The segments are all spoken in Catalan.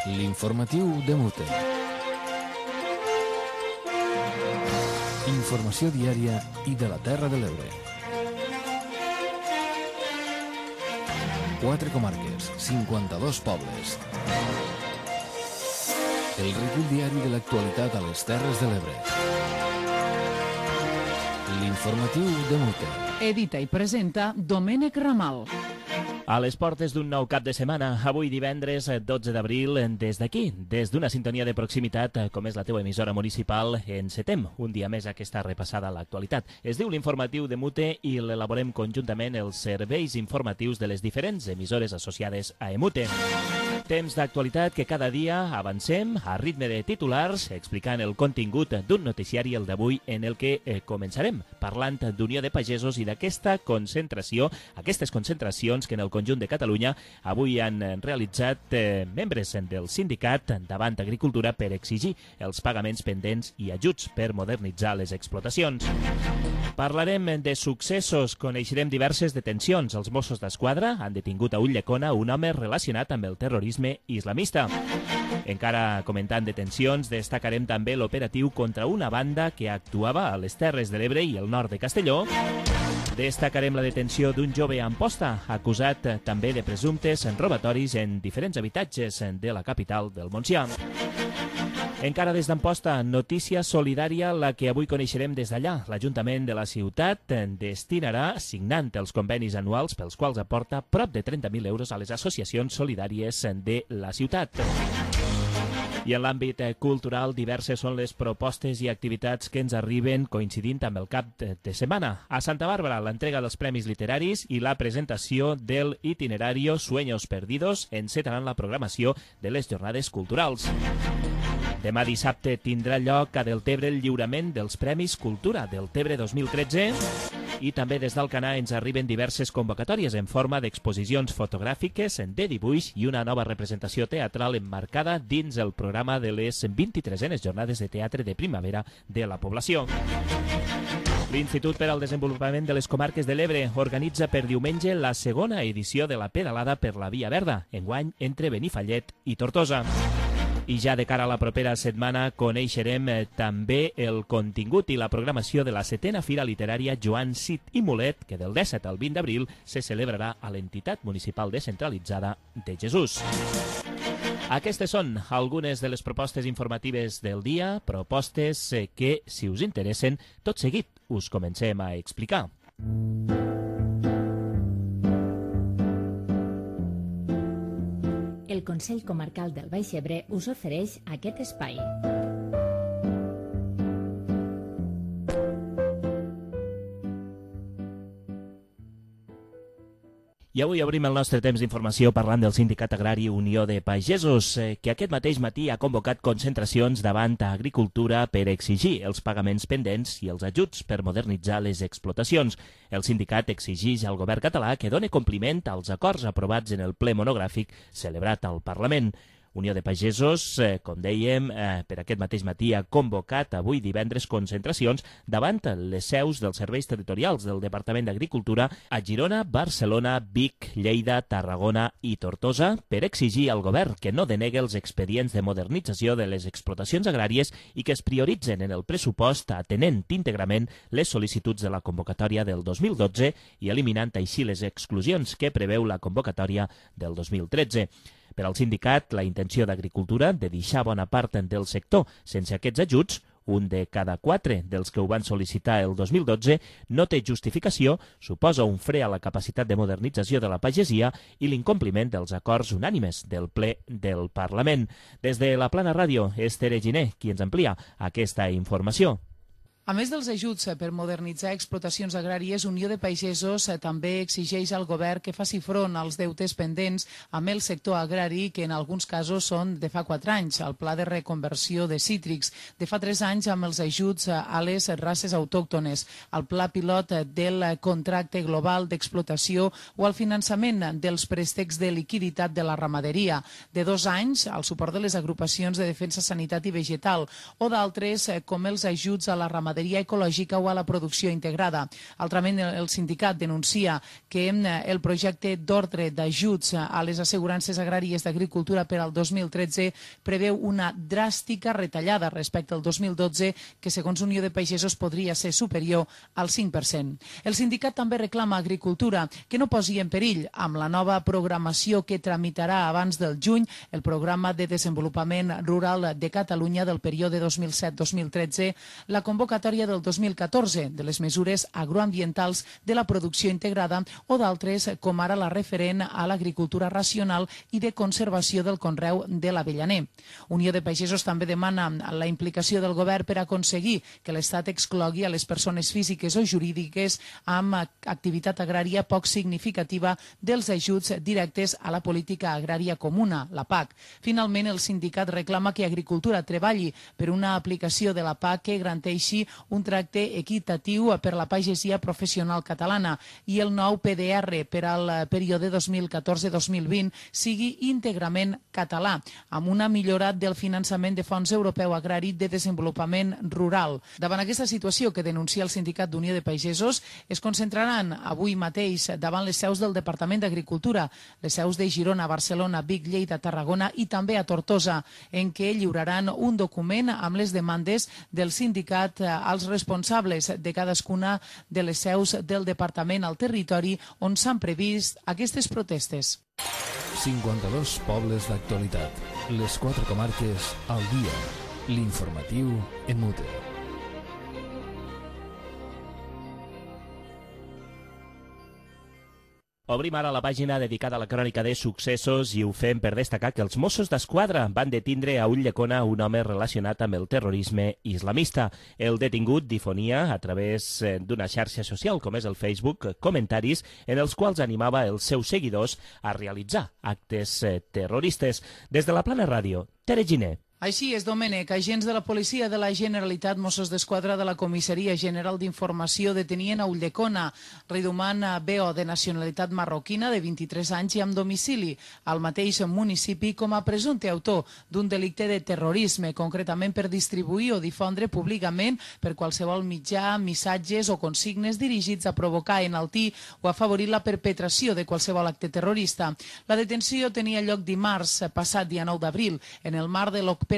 L'informatiu de Mute. Informació diària i de la Terra de l'Ebre. 4 comarques, 52 pobles. El recull diari de l'actualitat a les Terres de l'Ebre. L'informatiu de Mute. Edita i presenta Domènec Ramal. A les portes d'un nou cap de setmana, avui divendres 12 d'abril, des d'aquí, des d'una sintonia de proximitat, com és la teua emissora municipal, encetem un dia més aquesta repassada a l'actualitat. Es diu l'Informatiu de Mute i l'elaborem conjuntament els serveis informatius de les diferents emissores associades a Emute. Temps d'actualitat que cada dia avancem a ritme de titulars, explicant el contingut d'un noticiari, el d'avui, en el que començarem parlant d'Unió de Pagesos i d'aquesta concentració, aquestes concentracions que en el conjunt de Catalunya avui han realitzat membres del sindicat davant Agricultura per exigir els pagaments pendents i ajuts per modernitzar les explotacions. Parlarem de successos, coneixerem diverses detencions. Els Mossos d'Esquadra han detingut a Ulldecona un home relacionat amb el terrorisme islamista. Encara comentant detencions, destacarem també l'operatiu contra una banda que actuava a les Terres de l'Ebre i el nord de Castelló. Destacarem la detenció d'un jove a Amposta, acusat també de presumptes robatoris en diferents habitatges de la capital del Montsià. Encara des d'Amposta, notícia solidària, la que avui coneixerem des d'allà. L'Ajuntament de la ciutat destinarà, signant els convenis anuals pels quals aporta prop de 30.000 euros a les associacions solidàries de la ciutat. I en l'àmbit cultural, diverses són les propostes i activitats que ens arriben coincidint amb el cap de setmana. A Santa Bàrbara, l'entrega dels Premis Literaris i la presentació del itinerario Sueños Perdidos encetaran la programació de les jornades culturals. Demà dissabte tindrà lloc a Deltebre el lliurament dels Premis Cultura Deltebre 2013 i també des d'Alcanar ens arriben diverses convocatòries en forma d'exposicions fotogràfiques, de dibuix i una nova representació teatral emmarcada dins el programa de les 23enes jornades de teatre de primavera de la població. L'Institut per al Desenvolupament de les Comarques de l'Ebre organitza per diumenge la segona edició de la pedalada per la Via Verda, enguany entre Benifallet i Tortosa. I ja de cara a la propera setmana coneixerem també el contingut i la programació de la 7a Fira Literària Joan Cid i Mulet, que del 17 al 20 d'abril se celebrarà a l'entitat municipal descentralitzada de Jesús. Aquestes són algunes de les propostes informatives del dia, propostes que, si us interessen, tot seguit us comencem a explicar. El Consell Comarcal del Baix Ebre us ofereix aquest espai. I avui obrim el nostre temps d'informació parlant del Sindicat Agrari Unió de Pagesos, que aquest mateix matí ha convocat concentracions davant a Agricultura per exigir els pagaments pendents i els ajuts per modernitzar les explotacions. El sindicat exigeix al govern català que doni compliment als acords aprovats en el ple monogràfic celebrat al Parlament. Unió de Pagesos, com dèiem, per aquest mateix matí ha convocat avui divendres concentracions davant les seus dels serveis territorials del Departament d'Agricultura a Girona, Barcelona, Vic, Lleida, Tarragona i Tortosa per exigir al govern que no denegui els expedients de modernització de les explotacions agràries i que es prioritzen en el pressupost atenent íntegrament les sol·licituds de la convocatòria del 2012 i eliminant així les exclusions que preveu la convocatòria del 2013. Per al sindicat, la intenció d'Agricultura de deixar bona part del sector sense aquests ajuts, un de cada 4 dels que ho van sol·licitar el 2012, no té justificació, suposa un fre a la capacitat de modernització de la pagesia i l'incompliment dels acords unànimes del ple del Parlament. Des de la Plana Ràdio, és Tere Giner qui ens amplia aquesta informació. A més dels ajuts per modernitzar explotacions agràries, Unió de Pagesos també exigeix al govern que faci front als deutes pendents amb el sector agrari, que en alguns casos són de fa 4 anys, el pla de reconversió de cítrics, de fa 3 anys amb els ajuts a les races autòctones, el pla pilot del contracte global d'explotació o el finançament dels préstecs de liquiditat de la ramaderia, de 2 anys el suport de les agrupacions de defensa, sanitat i vegetal, o d'altres com els ajuts a la ramaderia ramaderia ecològica o a la producció integrada. Altrament, el sindicat denuncia que el projecte d'ordre d'ajuts a les assegurances agràries d'agricultura per al 2013 preveu una dràstica retallada respecte al 2012 que, segons Unió de Pagesos, podria ser superior al 5%. El sindicat també reclama a Agricultura que no posi en perill, amb la nova programació que tramitarà abans del juny, el Programa de Desenvolupament Rural de Catalunya del període 2007-2013, la convocatòria del 2014 de les mesures agroambientals de la producció integrada o d'altres, com ara la referent a l'agricultura racional i de conservació del conreu de l'avellaner. Unió de Pagesos també demana la implicació del govern per aconseguir que l'Estat exclogui a les persones físiques o jurídiques amb activitat agrària poc significativa dels ajuts directes a la política agrària comuna, la PAC. Finalment, el sindicat reclama que Agricultura treballi per una aplicació de la PAC que garanteixi un tracte equitatiu per la pagesia professional catalana i el nou PDR per al període 2014-2020 sigui íntegrament català, amb una millora del finançament de Fons Europeu Agrari de Desenvolupament Rural. Davant aquesta situació que denuncia el Sindicat d'Unió de Pagesos, es concentraran avui mateix davant les seus del Departament d'Agricultura, les seus de Girona, Barcelona, Vic, Lleida, Tarragona i també a Tortosa, en què lliuraran un document amb les demandes del sindicat als responsables de cadascuna de les seus del departament al territori on s'han previst aquestes protestes. 52 pobles d'actualitat. Les 4 comarques al dia. L'informatiu en mute. Obrim ara la pàgina dedicada a la crònica de successos i ho fem per destacar que els Mossos d'Esquadra van detindre a Ulldecona un home relacionat amb el terrorisme islamista. El detingut difonia a través d'una xarxa social com és el Facebook comentaris en els quals animava els seus seguidors a realitzar actes terroristes. Des de la Plana Ràdio, Tere Giner. Així és, Domènec. Agents de la Policia de la Generalitat, Mossos d'Esquadra de la Comissaria General d'Informació detenien a Ulldecona Riduman Beo, de nacionalitat marroquina, de 23 anys i amb domicili al mateix municipi, com a presumpte autor d'un delicte de terrorisme, concretament per distribuir o difondre públicament per qualsevol mitjà missatges o consignes dirigits a provocar, enaltir o afavorir la perpetració de qualsevol acte terrorista. La detenció tenia lloc dimarts passat, dia 9 d'abril, en el marc de l'operació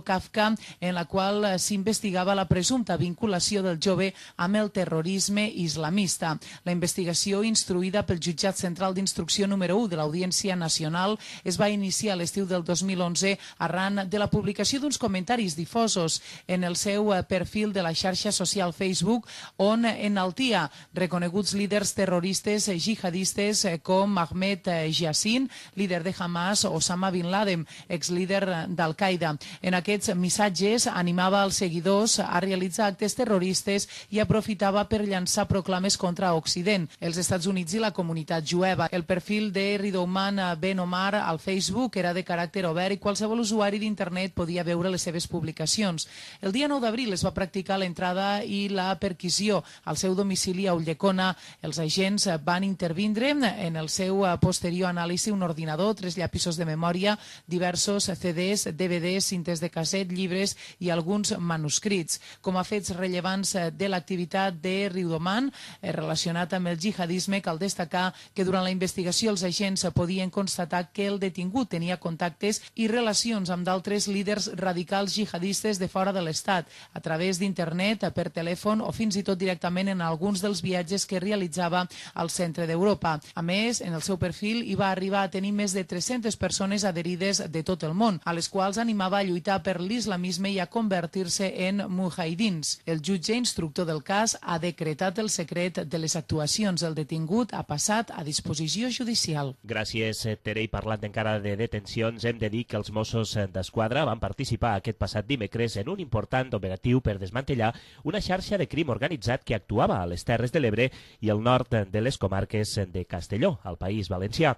Kafka, en la qual s'investigava la presumpta vinculació del jove amb el terrorisme islamista. La investigació, instruïda pel Jutjat Central d'Instrucció número 1 de l'Audiència Nacional, es va iniciar a l'estiu del 2011 arran de la publicació d'uns comentaris difosos en el seu perfil de la xarxa social Facebook, on enaltia reconeguts líders terroristes jihadistes com Ahmed Yassin, líder de Hamas, o Osama Bin Laden, exlíder d'Al-Qaeda. En aquests missatges animava els seguidors a realitzar actes terroristes i aprofitava per llançar proclames contra Occident, els Estats Units i la comunitat jueva. El perfil de Ridouman Ben Omar al Facebook era de caràcter obert i qualsevol usuari d'internet podia veure les seves publicacions. El dia 9 d'abril es va practicar l'entrada i la perquisició al seu domicili a Ulldecona. Els agents van intervindre en el seu posterior anàlisi un ordinador, 3 llapisos de memòria, diversos CDs, DVDs, cintes de casset, llibres i alguns manuscrits. Com a fets rellevants de l'activitat de Riudoman relacionat amb el jihadisme, cal destacar que durant la investigació els agents podien constatar que el detingut tenia contactes i relacions amb d'altres líders radicals jihadistes de fora de l'Estat, a través d'internet, per telèfon o fins i tot directament en alguns dels viatges que realitzava al centre d'Europa. A més, en el seu perfil hi va arribar a tenir més de 300 persones adherides de tot el món, a les quals animava a lluitar per l'islamisme i a convertir-se en mujahidins. El jutge instructor del cas ha decretat el secret de les actuacions. El detingut ha passat a disposició judicial. Gràcies, Tere. I parlant encara de detencions, hem de dir que els Mossos d'Esquadra van participar aquest passat dimecres en un important operatiu per desmantellar una xarxa de crim organitzat que actuava a les Terres de l'Ebre i al nord de les comarques de Castelló, al País Valencià.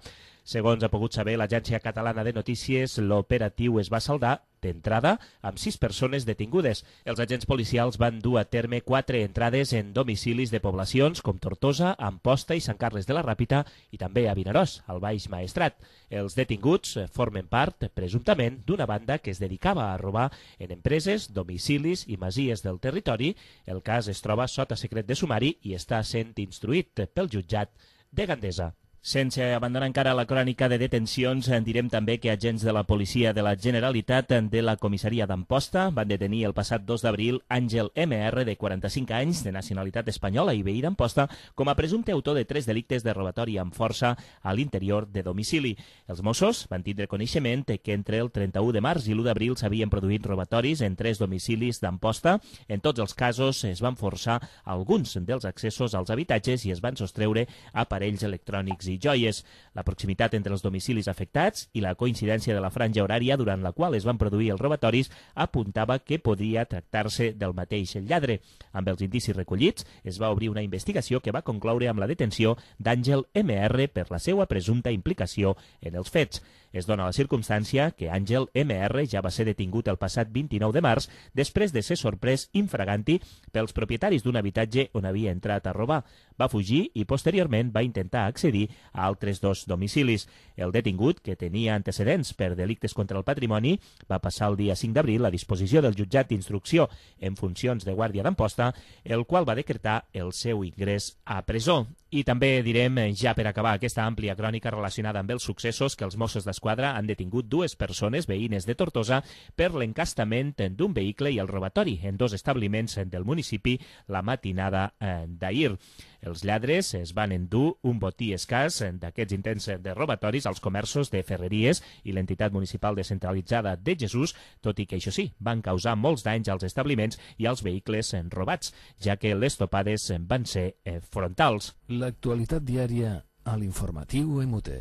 Segons ha pogut saber l'Agència Catalana de Notícies, l'operatiu es va saldar d'entrada amb 6 persones detingudes. Els agents policials van dur a terme 4 entrades en domicilis de poblacions com Tortosa, Amposta i Sant Carles de la Ràpita i també a Vinaròs, al Baix Maestrat. Els detinguts formen part, presumptament, d'una banda que es dedicava a robar en empreses, domicilis i masies del territori. El cas es troba sota secret de sumari i està sent instruït pel jutjat de Gandesa. Sense abandonar encara la crònica de detencions, direm també que agents de la policia de la Generalitat de la comissaria d'Amposta van detenir el passat 2 d'abril Àngel MR, de 45 anys, de nacionalitat espanyola i veí d'Amposta, com a presumpte autor de 3 delictes de robatori amb força a l'interior de domicili. Els Mossos van tindre coneixement que entre el 31 de març i l'1 d'abril s'havien produït robatoris en 3 domicilis d'Amposta. En tots els casos es van forçar alguns dels accessos als habitatges i es van sostreure aparells electrònics i joies. La proximitat entre els domicilis afectats i la coincidència de la franja horària durant la qual es van produir els robatoris apuntava que podria tractar-se del mateix lladre. Amb els indicis recollits, es va obrir una investigació que va concloure amb la detenció d'Àngel MR per la seva presumpta implicació en els fets. Es dona la circumstància que Àngel MR ja va ser detingut el passat 29 de març després de ser sorprès infraganti pels propietaris d'un habitatge on havia entrat a robar. Va fugir i posteriorment va intentar accedir a altres 2 domicilis. El detingut, que tenia antecedents per delictes contra el patrimoni, va passar el dia 5 d'abril a disposició del jutjat d'instrucció en funcions de guàrdia d'Amposta, el qual va decretar el seu ingrés a presó. I també direm, ja per acabar aquesta àmplia crònica relacionada amb els successos, que els Mossos d'Esquadra han detingut 2 persones veïnes de Tortosa per l'encastament d'un vehicle i el robatori en 2 establiments del municipi la matinada d'ahir. Els lladres es van endur un botí escàs d'aquests intents de robatoris als comerços de Ferreries i l'entitat municipal descentralitzada de Jesús, tot i que, això sí, van causar molts danys als establiments i als vehicles robats, ja que les topades van ser frontals. L'actualitat diària a l'informatiu MUT.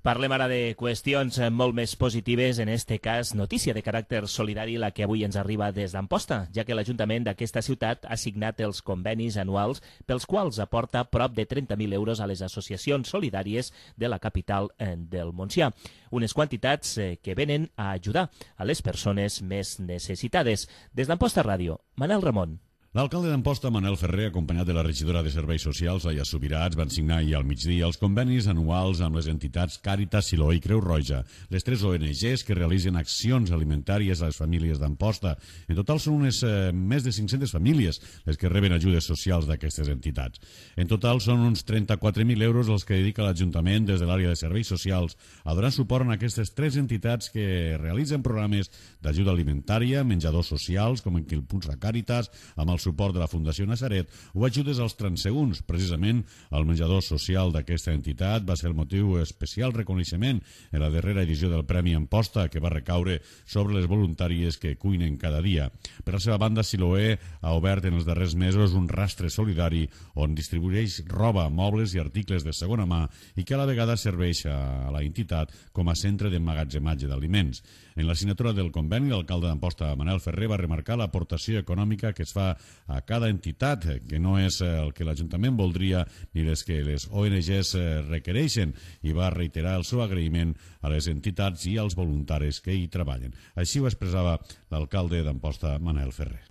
Parlem ara de qüestions molt més positives, en este cas notícia de caràcter solidari la que avui ens arriba des d'Amposta, ja que l'Ajuntament d'aquesta ciutat ha signat els convenis anuals pels quals aporta prop de 30.000 euros a les associacions solidàries de la capital del Montsià. Unes quantitats que venen a ajudar a les persones més necessitades. Des d'Amposta Ràdio, Manel Ramon. L'alcalde d'Amposta, Manel Ferrer, acompanyat de la regidora de Serveis Socials, Laia Subirats, van signar ahir al migdia els convenis anuals amb les entitats Càritas, Siloé i Creu Roja, les 3 ONGs que realitzen accions alimentàries a les famílies d'Amposta. En total són més de 500 famílies les que reben ajudes socials d'aquestes entitats. En total són uns 34.000 euros els que dedica l'Ajuntament des de l'àrea de Serveis Socials a donar suport a aquestes 3 entitats que realitzen programes d'ajuda alimentària, menjadors socials, com en qui impulsa Càritas, amb el suport de la Fundació Nazaret, o ajudes als transegunts. Precisament, el menjador social d'aquesta entitat va ser el motiu especial reconeixement en la darrera edició del Premi Amposta, que va recaure sobre les voluntàries que cuinen cada dia. Per la seva banda, Siloé ha obert en els darrers mesos un rastre solidari on distribueix roba, mobles i articles de segona mà i que a la vegada serveix a la entitat com a centre d'emmagatzematge d'aliments. En la signatura del conveni, l'alcalde d'Amposta, Manel Ferrer, va remarcar l'aportació econòmica que es fa a cada entitat, que no és el que l'Ajuntament voldria ni les que les ONGs requereixen, i va reiterar el seu agraïment a les entitats i als voluntaris que hi treballen. Així ho expressava l'alcalde d'Amposta, Manel Ferrer.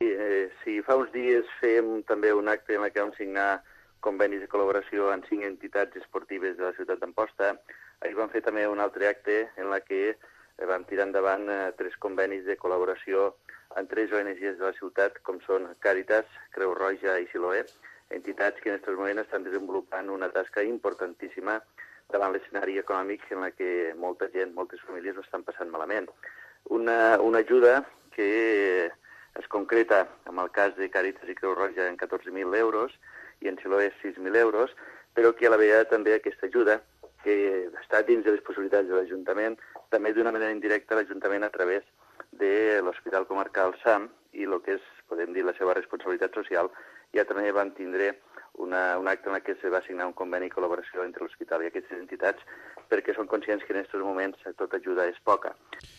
Sí, fa uns dies fèiem també un acte en què vam signar convenis de col·laboració amb 5 entitats esportives de la ciutat d'Amposta. Ahir vam fer també un altre acte en què vam tirar endavant 3 convenis de col·laboració amb 3 ONGs de la ciutat, com són Càritas, Creu Roja i Siloé, entitats que en aquests moments estan desenvolupant una tasca importantíssima davant l'escenari econòmic en què molta gent, moltes famílies ho estan passant malament. Una ajuda que es concreta, en el cas de Càritas i Creu Roja, en 14.000 euros i en Siloé 6.000 euros, però que a la vegada també aquesta ajuda, que està dins de les possibilitats de l'Ajuntament, també d'una manera indirecta l'Ajuntament a través de l'Hospital Comarcal SAM i el que és, podem dir, la seva responsabilitat social. Ja també van tindre un acte en què se va signar un conveni de col·laboració entre l'hospital i aquestes entitats perquè són conscients que en aquests moments tota ajuda és poca.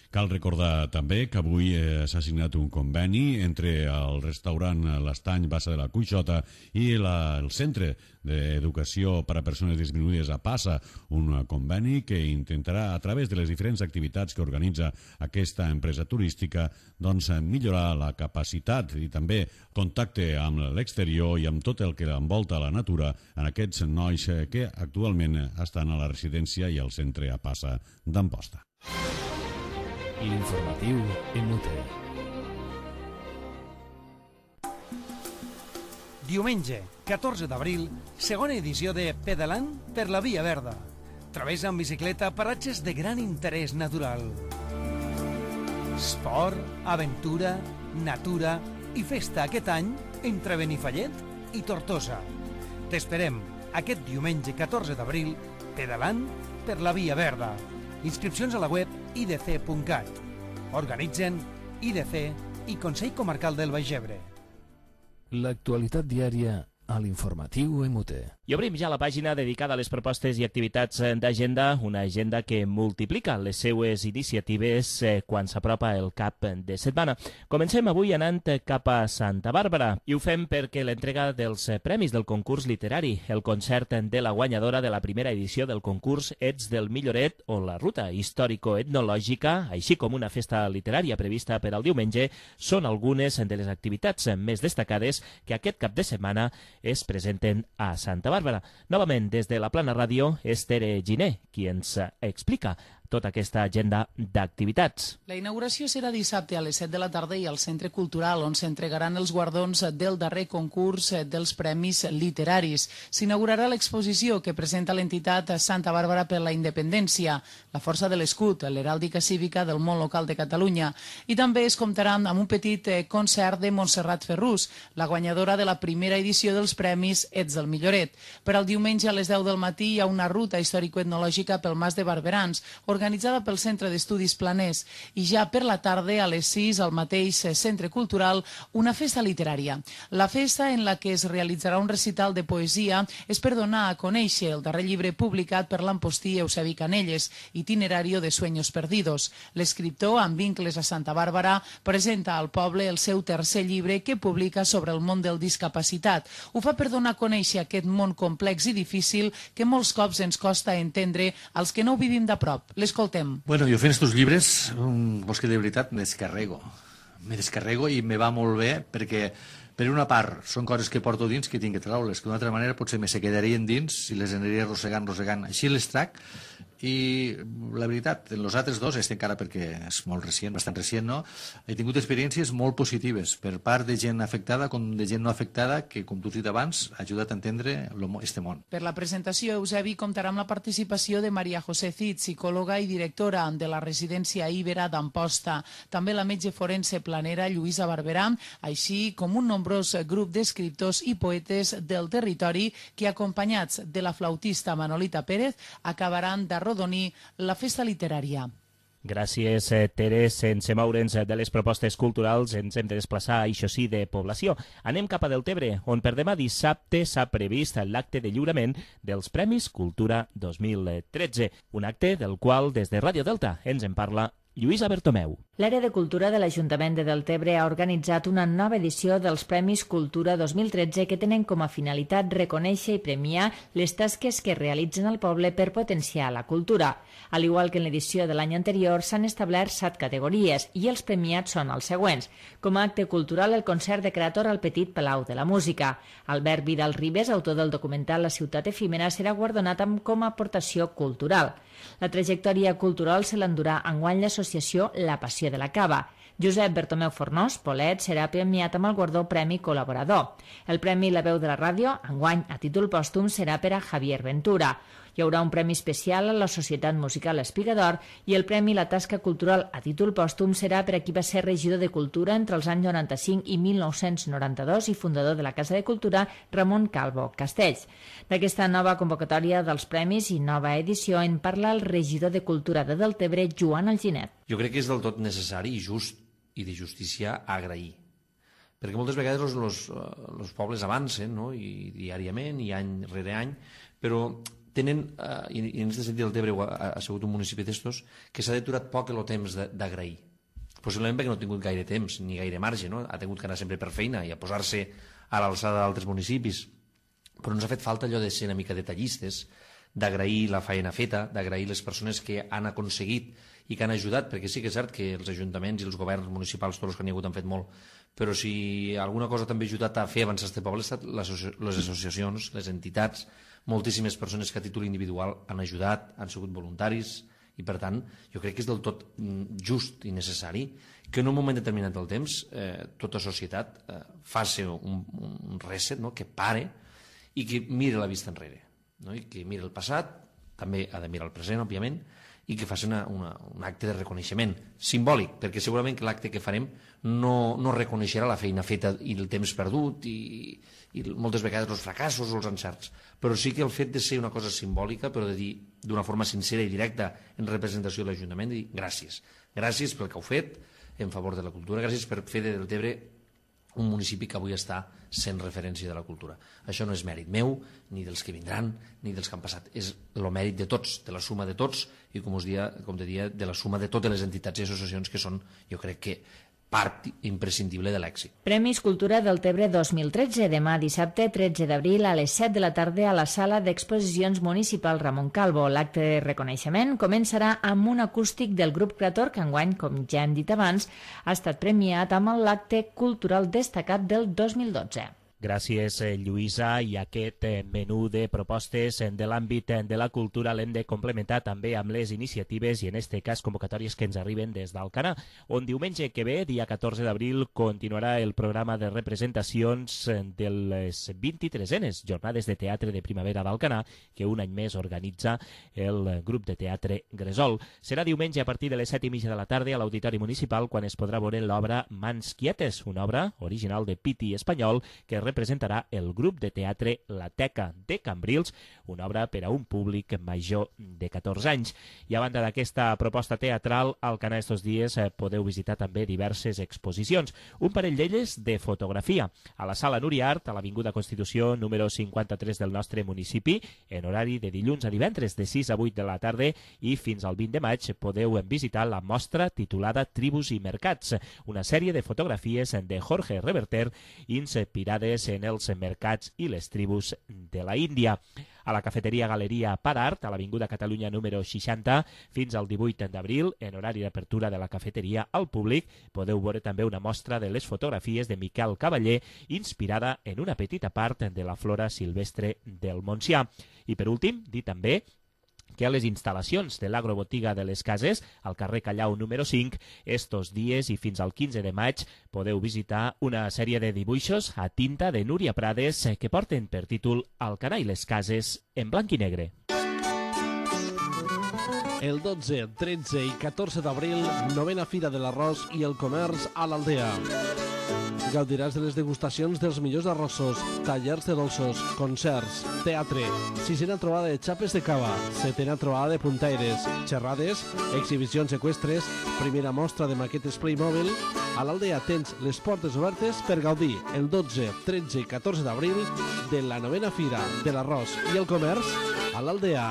Cal recordar també que avui s'ha signat un conveni entre el restaurant L'Estany Bassa de la Cuixota i el Centre d'Educació per a Persones Disminuïdes a Passa, un conveni que intentarà, a través de les diferents activitats que organitza aquesta empresa turística, doncs millorar la capacitat i també contacte amb l'exterior i amb tot el que envolta la natura en aquests nois que actualment estan a la residència i al centre a Passa d'Amposta. L'informatiu Emute. Diumenge, 14 d'abril, segona edició de Pedalant per la Via Verda. Travessa en bicicleta paratges de gran interès natural. Esport, aventura, natura i festa aquest any entre Benifallet i Tortosa. T'esperem aquest diumenge 14 d'abril, Pedalant per la Via Verda. Inscripcions a la web idc.cat. Organitzen IDC i Consell Comarcal del Baix Ebre. L'actualitat diària a l'informatiu Emute. I obrim ja la pàgina dedicada a les propostes i activitats d'agenda, una agenda que multiplica les seues iniciatives quan s'apropa el cap de setmana. Comencem avui anant cap a Santa Bàrbara i ho fem perquè l'entrega dels premis del concurs literari, el concert de la guanyadora de la primera edició del concurs Ets del Milloret o la ruta històrico-etnològica, així com una festa literària prevista per al diumenge, són algunes de les activitats més destacades que aquest cap de setmana es presenten a Santa Bàrbara. Novament, des de la Plana Ràdio, és Tere Giner qui ens explica tota aquesta agenda d'activitats. La inauguració serà dissabte a les 7 de la tarda i al Centre Cultural, on s'entregaran els guardons del darrer concurs dels Premis Literaris. S'inaugurarà l'exposició que presenta l'entitat Santa Bàrbara per la Independència, la força de l'escut, l'heràldica cívica del món local de Catalunya. I també es comptarà amb un petit concert de Montserrat Ferrús, la guanyadora de la primera edició dels Premis Ets del Milloret. Per al diumenge a les 10 del matí hi ha una ruta històrico-etnològica pel Mas de Barberans, organitzada pel Centre d'Estudis Planers, i ja per la tarda, a les 6, al mateix Centre Cultural, una festa literària. La festa, en la que es realitzarà un recital de poesia, és per donar a conèixer el darrer llibre publicat per l'ampostí Eusebi Canelles, Itinerario de Sueños Perdidos. L'escriptor, amb vincles a Santa Bàrbara, presenta al poble el seu tercer llibre que publica sobre el món del discapacitat. Ho fa per donar a conèixer aquest món complex i difícil que molts cops ens costa entendre als que no ho vivim de prop. L'escoltem. Bueno, jo fent estos llibres, vols que de veritat me descarrego i me va molt bé perquè, per una part, són coses que porto dins que tinc que treure-les, que d'una altra manera potser me se quedarien dins i les aniria arrossegant. Així les trac i la veritat, en els altres dos, encara perquè és molt recient, bastant recient, no? He tingut experiències molt positives per part de gent afectada com de gent no afectada que, com tu has dit abans, ha ajudat a entendre este món. Per la presentació, Eusebi comptarà amb la participació de Maria José Cid, psicòloga i directora de la residència Ibera d'Amposta, també la metge forense planera Lluïsa Barberà, així com un nombrós grup d'escriptors i poetes del territori que, acompanyats de la flautista Manolita Pérez, acabaran de rodonir la festa literària. Gràcies, Tere. Sense moure'ns de les propostes culturals, ens hem de desplaçar, això sí, de població. Anem cap a Deltebre, on per demà dissabte s'ha previst l'acte de lliurament dels Premis Cultura 2013, un acte del qual des de Ràdio Delta ens en parla Lluïsa Bertomeu. L'àrea de cultura de l'Ajuntament de Deltebre ha organitzat una nova edició dels Premis Cultura 2013 que tenen com a finalitat reconèixer i premiar les tasques que realitzen al poble per potenciar la cultura. Al igual que en l'edició de l'any anterior, s'han establert 7 categories i els premiats són els següents. Com a acte cultural, el concert de Creator al Petit Palau de la Música. Albert Vidal Ribes, autor del documental La ciutat efímera, serà guardonat com a aportació cultural. La trajectòria cultural se l'endurà enguany l'associació La Passió de la Cava. Josep Bertomeu Fornós, Polet, serà premiat amb el guardó Premi Col·laborador. El Premi La Veu de la Ràdio, enguany a títol pòstum, serà per a Javier Ventura. Hi haurà un premi especial a la Societat Musical Espigador i el Premi La Tasca Cultural a títol pòstum serà per a qui va ser regidor de Cultura entre els anys 95 i 1992 i fundador de la Casa de Cultura, Ramon Calvo Castells. D'aquesta nova convocatòria dels premis i nova edició en parla el regidor de Cultura de Deltebre, Joan Alginet. Jo crec que és del tot necessari i just i de justícia agrair. Perquè moltes vegades els pobles avancen, no? I diàriament i any rere any, però tenen, i en aquest sentit el Tebre ha sigut un municipi d'estos, que s'ha deturat poc el temps d'agrair. Possiblement perquè no ha tingut gaire temps ni gaire marge, no? Ha tingut que anar sempre per feina i a posar-se a l'alçada d'altres municipis. Però ens ha fet falta allò de ser una mica detallistes, d'agrair la feina feta, d'agrair les persones que han aconseguit i que han ajudat, perquè sí que és cert que els ajuntaments i els governs municipals, tots els que n'hi ha hagut, han fet molt, però si alguna cosa també ha ajudat a fer avançar aquest poble han estat les associacions, les entitats, moltíssimes persones que a títol individual han ajudat, han sigut voluntaris, i per tant jo crec que és del tot just i necessari que en un moment determinat del temps tota societat faci un reset, no? Que pare i que mire la vista enrere, no? I que mire el passat, també ha de mirar el present, òbviament, i que faci un acte de reconeixement simbòlic, perquè segurament que l'acte que farem no reconeixerà la feina feta i el temps perdut i moltes vegades els fracassos o els encerts, però sí que el fet de ser una cosa simbòlica, però de dir d'una forma sincera i directa en representació de l'Ajuntament, dir gràcies pel que heu fet en favor de la cultura, gràcies per fer del Tebre un municipi que avui està sent referència de la cultura. Això no és mèrit meu, ni dels que vindran, ni dels que han passat. És el mèrit de tots, de la suma de tots, i com te dia, de la suma de totes les entitats i associacions que són, jo crec que, part imprescindible de l'èxit. Premis Cultura del Tebre 2013, demà dissabte 13 d'abril a les 7 de la tarda a la sala d'exposicions municipal Ramon Calvo. L'acte de reconeixement començarà amb un acústic del grup creator que enguany, com ja hem dit abans, ha estat premiat amb l'acte cultural destacat del 2012. Gràcies, Lluïsa, i aquest menú de propostes de l'àmbit de la cultura l'hem de complementar també amb les iniciatives i en aquest cas convocatòries que ens arriben des d'Alcanar, on diumenge que ve, dia 14 d'abril, continuarà el programa de representacions de les 23enes Jornades de Teatre de Primavera d'Alcanar, que un any més organitza el grup de teatre Gresol. Serà diumenge a partir de les 7:30 de la tarda a l'Auditori Municipal, quan es podrà veure l'obra Mans Quietes, una obra original de Piti Espanyol que representarà el grup de teatre La Teca de Cambrils, una obra per a un públic major de 14 anys. I a banda d'aquesta proposta teatral, al Alcanar estos dies podeu visitar també diverses exposicions. Un parell d'elles de fotografia. A la Sala Nuriart, a l'Avinguda Constitució número 53 del nostre municipi, en horari de dilluns a divendres de 6 a 8 de la tarda, i fins al 20 de maig podeu visitar la mostra titulada Tribus i Mercats, una sèrie de fotografies de Jorge Reverter inspirades en els mercats i les tribus de la Índia. A la cafeteria Galeria Parart, a l'Avinguda Catalunya número 60, fins al 18 d'abril, en horari d'apertura de la cafeteria al públic, podeu veure també una mostra de les fotografies de Miquel Cavaller, inspirada en una petita part de la flora silvestre del Montsià. I per últim, dir també que a les instal·lacions de l'Agrobotiga de les Cases, al carrer Callau número 5, estos dies i fins al 15 de maig podeu visitar una sèrie de dibuixos a tinta de Núria Prades que porten per títol Alcanar i les Cases en blanc i negre. El 12, 13 i 14 d'abril, 9a Fira de l'Arròs i el Comerç a l'Aldea. Gaudiràs de les degustacions dels millors arrossos, tallers de dolços, concerts, teatre, 6a trobada de xapes de cava, 7a trobada de puntaires, xerrades, exhibicions eqüestres, primera mostra de maquetes Playmobil. A l'Aldea tens les portes obertes per gaudir el 12, 13 i 14 d'abril de la 9a Fira de l'Arròs i el Comerç a l'Aldea.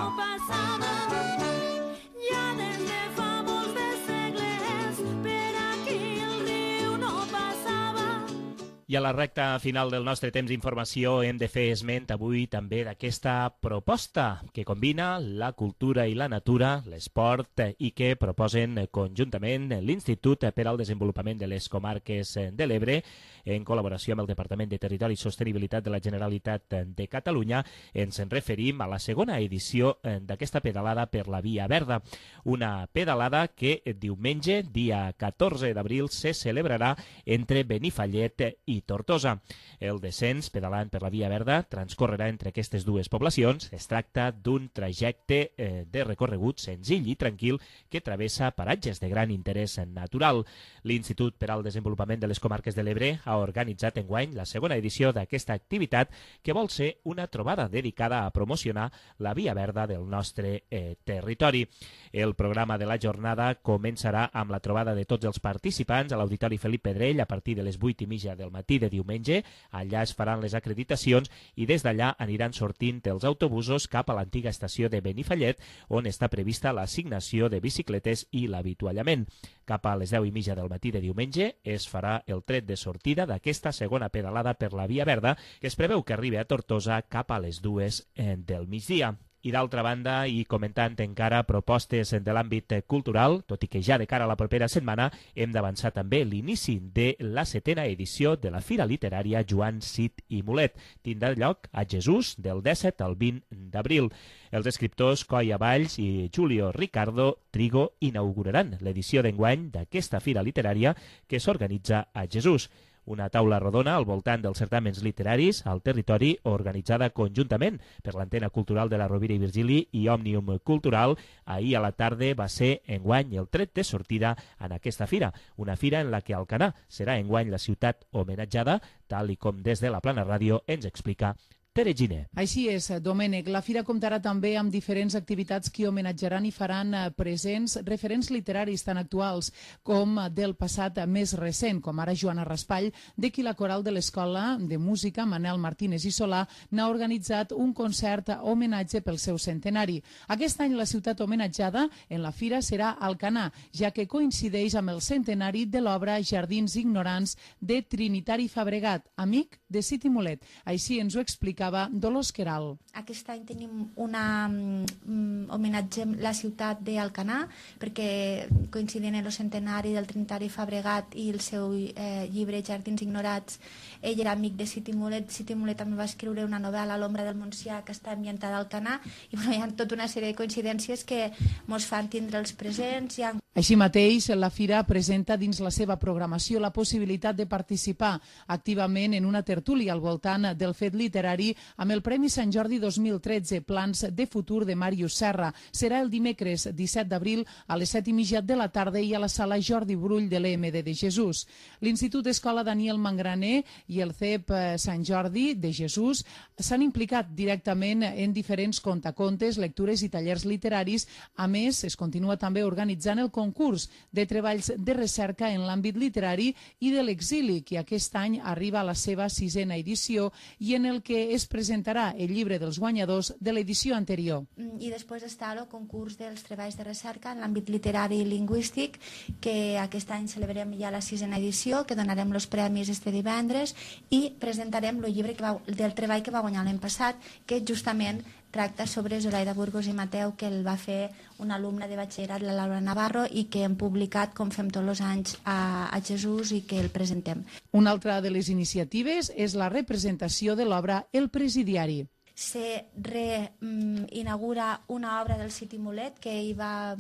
I a la recta final del nostre temps d'informació hem de fer esment avui també d'aquesta proposta que combina la cultura i la natura, l'esport, i que proposen conjuntament l'Institut per al Desenvolupament de les Comarques de l'Ebre, en col·laboració amb el Departament de Territori i Sostenibilitat de la Generalitat de Catalunya. Ens en referim a la segona edició d'aquesta pedalada per la Via Verda, una pedalada que diumenge, dia 14 d'abril, se celebrarà entre Benifallet i Tortosa. El descens, pedalant per la Via Verda, transcorrerà entre aquestes dues poblacions. Es tracta d'un trajecte de recorregut senzill i tranquil que travessa paratges de gran interès natural. L'Institut per al Desenvolupament de les Comarques de l'Ebre ha organitzat enguany la segona edició d'aquesta activitat, que vol ser una trobada dedicada a promocionar la Via Verda del nostre territori. El programa de la jornada començarà amb la trobada de tots els participants a l'Auditori Felip Pedrell a partir de les 8:30 del matí, matí de diumenge. Allà es faran les acreditacions i des d'allà aniran sortint els autobusos cap a l'antiga estació de Benifallet, on està prevista l'assignació de bicicletes i l'avituallament. Cap a les 10:30 del matí de diumenge es farà el tret de sortida d'aquesta segona pedalada per la Via Verda, que es preveu que arribi a Tortosa cap a les 2 del migdia. I d'altra banda, i comentant encara propostes de l'àmbit cultural, tot i que ja de cara a la propera setmana hem d'avançar també l'inici de la 7a edició de la Fira Literària Joan Cid i Mulet. Tindrà lloc a Jesús del 17 al 20 d'abril. Els escriptors Coia Valls i Julio Ricardo Trigo inauguraran l'edició d'enguany d'aquesta fira literària que s'organitza a Jesús. Una taula rodona al voltant dels certàmens literaris al territori, organitzada conjuntament per l'Antena Cultural de la Rovira i Virgili i Òmnium Cultural. Ahir a la tarda va ser enguany el tret de sortida en aquesta fira, una fira en la que Alcanar serà enguany la ciutat homenatjada, tal i com des de la Plana Ràdio ens explica Tere Giner. Així és, Domènec. La fira comptarà també amb diferents activitats que homenatjaran i faran presents referents literaris tan actuals com del passat més recent, com ara Joana Raspall, de qui la coral de l'Escola de Música Manel Martínez i Solà n'ha organitzat un concert homenatge pel seu centenari. Aquest any la ciutat homenatjada en la fira serà Alcanar, ja que coincideix amb el centenari de l'obra Jardins ignorants de Trinitari Fabregat, amic de Cid i Mulet. Així ens ho explica Dolors Queralt. Aquest any tenim una homenatge a la ciutat d'Alcanar perquè coincidint en el centenari del Trinitari Fabregat i el seu llibre Jardins ignorats, ell era amic de Cid i Mulet. Cid i Mulet també va escriure una novel·la, L'ombra del Montsià, que està ambientada a Alcanar, i hi ha tota una sèrie de coincidències que ens fan tindre els presents. Així mateix, la fira presenta dins la seva programació la possibilitat de participar activament en una tertúlia al voltant del fet literari amb el Premi Sant Jordi 2013, Plans de futur de Màrius Serra. Serà el dimecres 17 d'abril a les 7:30 de la tarda i a la sala Jordi Brull de l'EMD de Jesús. L'Institut Escola Daniel Mangraner i el CEP Sant Jordi de Jesús s'han implicat directament en diferents contacontes, lectures i tallers literaris. A més, es continua també organitzant el concurs de treballs de recerca en l'àmbit literari i de l'exili, que aquest any arriba a la seva 6a edició i en el que es presentarà el llibre dels guanyadors de l'edició anterior. I després està el concurs dels treballs de recerca en l'àmbit literari i lingüístic, que aquest any celebrem ja la 6a edició, que donarem els premis este divendres i presentarem el llibre del treball que va guanyar l'any passat, que justament tracta sobre Zoraida Burgos i Mateu, que el va fer una alumna de batxillerat, la Laura Navarro, i que hem publicat, com fem tots els anys, a Jesús i que el presentem. Una altra de les iniciatives és la representació de l'obra El Presidiari. Se reinaugura una obra del Cid i Mulet que ell va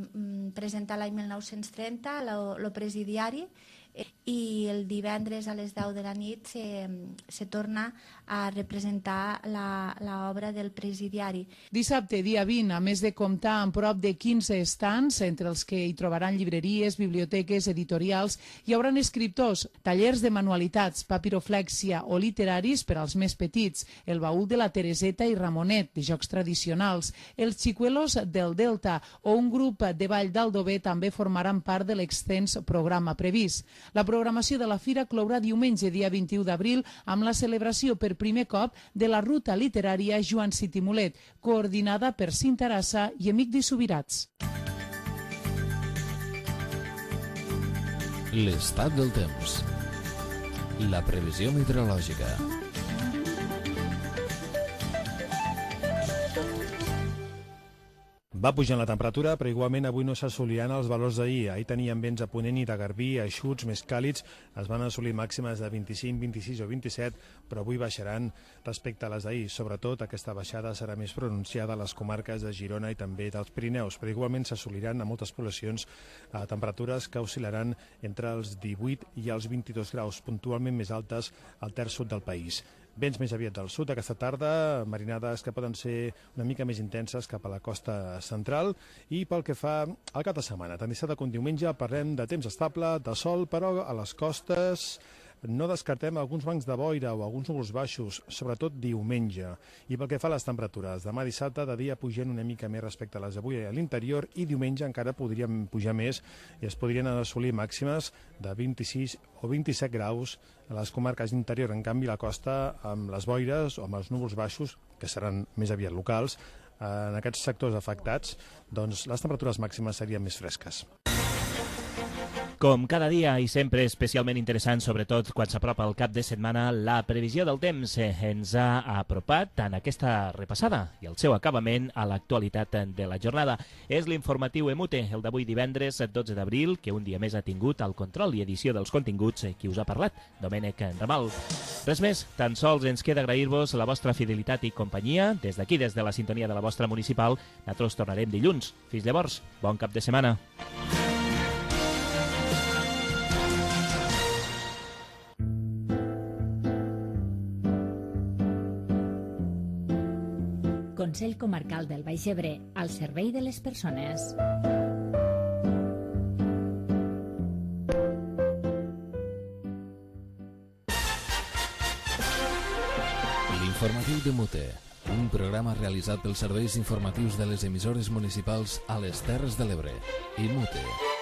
presentar l'any 1930, el Presidiari, i el divendres a les 10 de la nit se torna a representar l'obra del Presidiari. Dissabte, dia 20, a més de comptar amb prop de 15 estants, entre els que hi trobaran llibreries, biblioteques, editorials, hi haurà escriptors, tallers de manualitats, papiroflèxia o literaris per als més petits, el baúl de la Tereseta i Ramonet, de jocs tradicionals, els xicuelos del Delta o un grup de ball d'Aldover també formaran part de l'extens programa previst. La programació de la fira clourà diumenge, dia 21 d'abril, amb la celebració per primer cop de la ruta literària Joan Cid i Mulet, coordinada per Cinta Arassa i Emigdi Subirats. L'estat del temps. La previsió meteorològica. Va pujant la temperatura, però igualment avui no s'assoliran els valors d'ahir. Ahir teníem vents a Ponent i de Garbí, eixuts, més càlids, es van assolir màximes de 25, 26 o 27, però avui baixaran respecte a les d'ahir. Sobretot aquesta baixada serà més pronunciada a les comarques de Girona i també dels Pirineus, però igualment s'assoliran a moltes poblacions temperatures que oscil·laran entre els 18 i els 22 graus, puntualment més altes al terç sud del país. Vents més aviat del sud aquesta tarda, marinades que poden ser una mica més intenses cap a la costa central, i pel que fa al cap de setmana, tant dissabte com diumenge, parlem de temps estable, de sol, però a les costes No descartem alguns bancs de boira o alguns núvols baixos, sobretot diumenge. I pel que fa a les temperatures, demà dissabte de dia pugen una mica més respecte a les d'avui a l'interior i diumenge encara podríem pujar més i es podrien assolir màximes de 26 o 27 graus a les comarques d'interior. En canvi, la costa, amb les boires o amb els núvols baixos, que seran més aviat locals, en aquests sectors afectats, doncs les temperatures màximes serien més fresques. Com cada dia i sempre especialment interessant, sobretot quan s'apropa el cap de setmana, la previsió del temps ens ha apropat en aquesta repassada i el seu acabament a l'actualitat de la jornada. És l'informatiu EMUTE, el d'avui divendres 12 d'abril, que un dia més ha tingut el control i edició dels continguts qui us ha parlat, Domènec Ramal. Res més, tan sols ens queda agrair-vos la vostra fidelitat i companyia. Des d'aquí, des de la sintonia de la vostra municipal, nosaltres tornarem dilluns. Fins llavors, bon cap de setmana. Consell Comarcal del Baix Ebre, al servei de les persones. L'informatiu d'EMUTE, un programa realitzat pels serveis informatius de les emissores municipals a les Terres de l'Ebre. EMUTE.